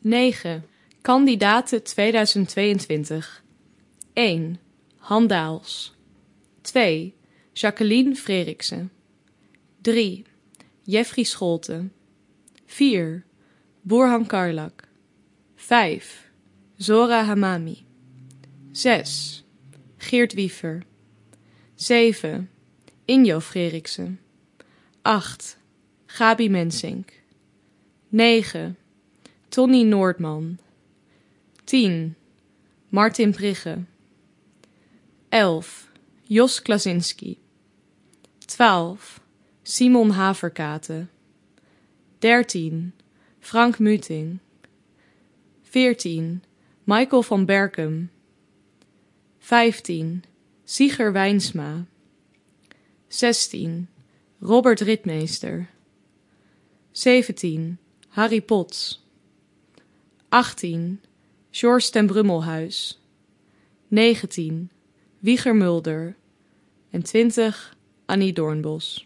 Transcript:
9. Kandidaten 2022. 1. Han Daels. 2. Jacqueline Freriksen. 3. Jeffrey Scholte. 4. Burhan Karlak. 5. Zora Hamami. 6. Geert Wiever. 7. Injo Freriksen. 8. Gabi Mensink. 9. Tonny Noordman. 10. Martin Prigge. 11. Jos Klasinski. 12. Simon Haverkate. 13. Frank Muting. 14. Michael van Berkem. 15. Sieger Wijnsma. 16. Robert Ritmeester. 17. Harry Potts. 18. George ten Brummelhuis. 19. Wieger Mulder. En 20. Annie Doornbos.